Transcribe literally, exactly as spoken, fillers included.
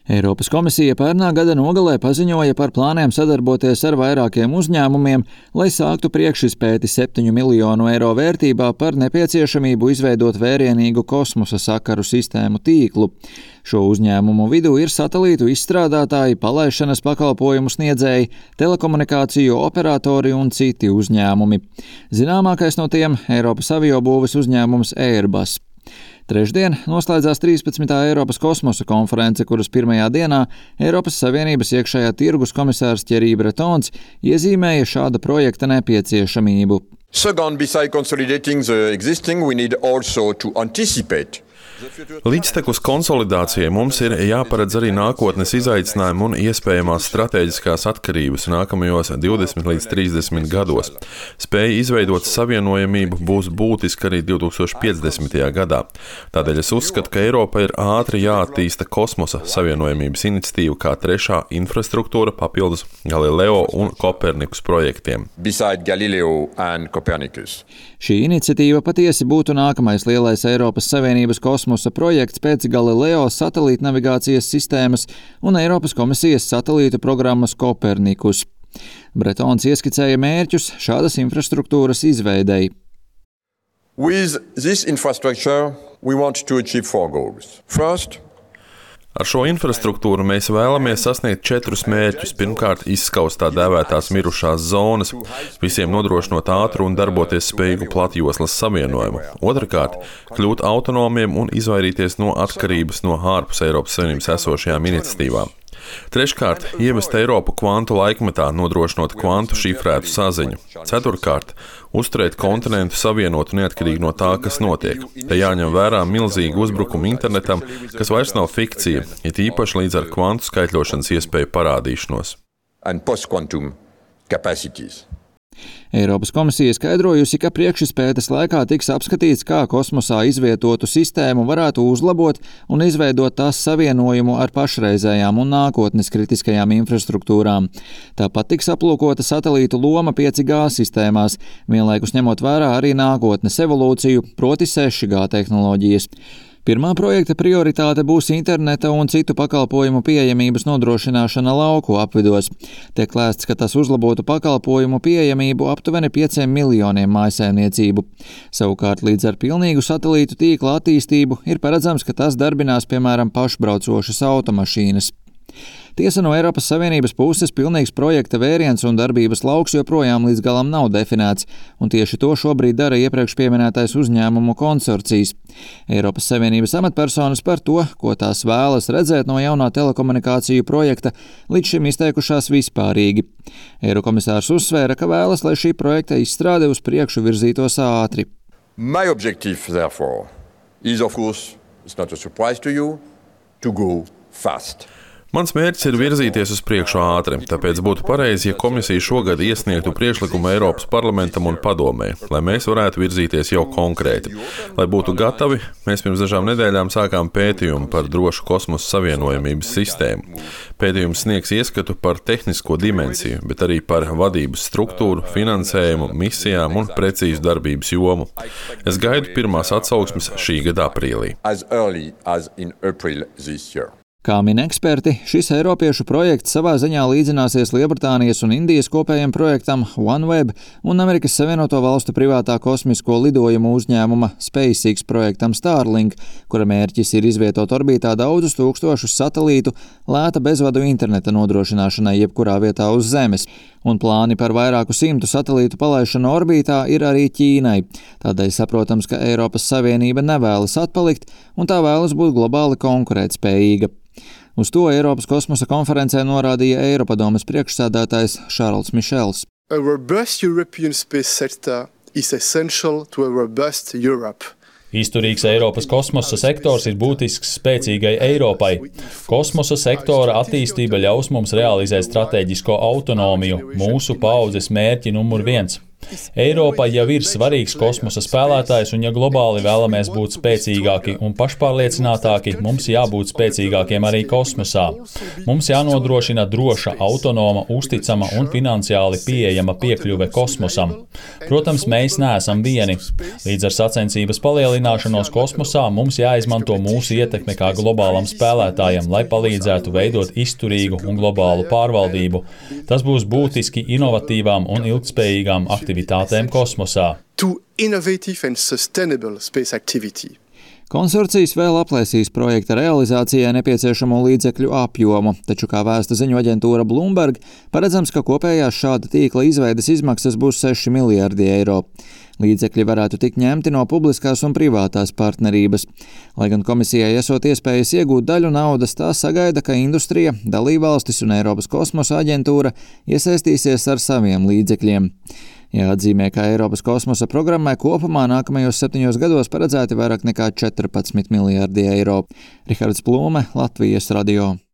Eiropas komisija pērnā gada nogalē paziņoja par plāniem sadarboties ar vairākiem uzņēmumiem, lai sāktu priekšizpēti septiņu miljonu eiro vērtībā par nepieciešamību izveidot vērienīgu kosmosa sakaru sistēmu tīklu. Šo uzņēmumu vidū ir satelītu izstrādātāji, palaišanas pakalpojumu sniedzēji, telekomunikāciju operatori un citi uzņēmumi. Zināmākais no tiem – Eiropas aviobūves uzņēmums Airbus. Trešdien noslēdzās trīspadsmitā Eiropas kosmosa konference, kuras pirmajā dienā Eiropas Savienības iekšējā tirgus komisārs Thierry Bretons iezīmēja šāda projekta nepieciešamību. Second, beside consolidating the existing, we need also to anticipate. Līdztekus konsolidācijai mums ir jāparedz arī nākotnes izaicinājumi un iespējamās stratēģiskās atkarības nākamajos divdesmit līdz trīsdesmit gados. Spēja izveidot savienojamību būs būtiska arī divtūkstoš piecdesmitajā gadā. Tādēļ es uzskatu, ka Eiropa ir ātri jāattīsta kosmosa savienojamības iniciatīva kā trešā infrastruktūra papildus Galileo un Kopernikus projektiem. Beside Galileo and Copernicus. Šī iniciatīva patiesi būtu nākamais lielais Eiropas Savienības kosmosa projekts pēc Galileo satelīta navigācijas sistēmas un Eiropas komisijas satelīta programmas Kopernikus. Bretons ieskicēja mērķus šādas infrastruktūras izveidei. With this infrastructure, we want to achieve four goals. First, ar šo infrastruktūru mēs vēlamies sasniegt četrus mērķus. Pirmkārt, izskaust tā dēvētās mirušās zonas, visiem nodrošinot ātru un darboties spējīgu platjoslas savienojumu. Otrakārt, kļūt autonomiem un izvairīties no atkarības no ārpus Eiropas Savienības esošajām iniciatīvām. Treškārt, ievest Eiropu kvantu laikmetā, nodrošinot kvantu šifrētu saziņu. Ceturkārt, uzturēt kontinentu savienotu neatkarīgi no tā, kas notiek. Te jāņem vērā milzīgi uzbrukumi internetam, kas vairs nav fikcija, it īpaši līdz ar kvantu skaitļošanas iespēju parādīšanos. And post-quantum capacities. Eiropas komisija skaidrojusi, ka priekšizpētes laikā tiks apskatīts, kā kosmosā izvietotu sistēmu varētu uzlabot un izveidot tās savienojumu ar pašreizējām un nākotnes kritiskajām infrastruktūrām. Tāpat tiks aplūkota satelītu loma pieci G sistēmās, vienlaikus ņemot vērā arī nākotnes evolūciju, proti seši G tehnoloģijas. Pirmā projekta prioritāte būs interneta un citu pakalpojumu pieejamības nodrošināšana lauku apvidos. Tiek lēsts, ka tas uzlabotu pakalpojumu pieejamību aptuveni pieciem miljoniem mājsaimniecību. Savukārt līdz ar pilnīgu satelītu tīkla attīstību ir paredzams, ka tas darbinās, piemēram, pašbraucošas automašīnas. Tiesa, no Eiropas Savienības puses pilnīgs projekta vēriens un darbības lauks joprojām līdz galam nav definēts, un tieši to šobrīd dara iepriekš pieminētais uzņēmumu konsorcijs. Eiropas Savienības amatpersonas par to, ko tās vēlas redzēt no jaunā telekomunikāciju projekta, līdz šim izteikušās vispārīgi. Eirokomisārs uzsvēra, ka vēlas, lai šī projekta izstrāde uz priekšu virzītos ātri. My objective, therefore, is of course, it's not a surprise to you, to go fast. Mans mērķis ir virzīties uz priekšu ātri, tāpēc būtu pareizi, ja komisija šogad iesniegtu priekšlikumu Eiropas parlamentam un padomē, lai mēs varētu virzīties jau konkrēti. Lai būtu gatavi, mēs pirms dažām nedēļām sākām pētījumu par drošu kosmosa savienojamības sistēmu. Pētījums sniegs ieskatu par tehnisko dimensiju, bet arī par vadības struktūru, finansējumu, misijām un precīzu darbības jomu. Es gaidu pirmās atsauksmes šī gada aprīlī. As early as in April this year. Kā min eksperti, šis eiropiešu projekts savā ziņā līdzināsies Lielbritānijas un Indijas kopējiem projektam OneWeb un Amerikas Savienoto Valstu privātā kosmisko lidojumu uzņēmuma SpaceX projektam Starlink, kura mērķis ir izvietot orbītā daudzus tūkstošus satelītu lēta bezvadu interneta nodrošināšanai jebkurā vietā uz Zemes. Un plāni par vairāku simtu satelītu palaišanu orbītā ir arī Ķīnai. Tādēļ saprotams, ka Eiropas Savienība nevēlas atpalikt un tā vēlas būt globāli konkurētspējīga. Uz to Eiropas kosmosa konferencē norādīja Eiropadomes priekšsēdētājs Šarls Mišels. A robust European space sector is essential to a robust Europe. Izturīgs Eiropas kosmosa sektors ir būtisks spēcīgai Eiropai. Kosmosa sektora attīstība ļaus mums realizēt stratēģisko autonomiju, mūsu paaudzes mērķi numur viens. Eiropa jau ir svarīgs kosmosa spēlētājs, un ja globāli vēlamies būt spēcīgāki un pašpārliecinātāki, mums jābūt spēcīgākiem arī kosmosā. Mums jānodrošina droša, autonoma, uzticama un finansiāli pieejama piekļuve kosmosam. Protams, mēs neesam vieni. Līdz ar sacensības palielināšanos kosmosā mums jāizmanto mūsu ietekme kā globālam spēlētājam, lai palīdzētu veidot izturīgu un globālu pārvaldību. Tas būs būtiski inovatīvām un ilgtspējīgām aktivitātēm kosmosā. To innovative and sustainable space activity. Konsorcijas vēl aplēsīs projekta realizācijai nepieciešamo līdzekļu apjomu, taču, kā vēsta ziņu aģentūra Bloomberg, paredzams, ka kopējās šāda tīkla izveides izmaksas būs seši miljardi eiro. Līdzekļi varētu tikt ņemti no publiskās un privātās partnerības. Lai gan komisijai esot iespējas iegūt daļu naudas, tā sagaida, ka industrija, dalībvalstis un Eiropas kosmosa aģentūra iesaistīsies ar saviem līdzekļiem. Jāatzīmē, ka Eiropas kosmosa programmai kopumā nākamajos septiņos gados paredzēti vairāk nekā četrpadsmit miljardi eiro. Rihards Plūme, Latvijas radio.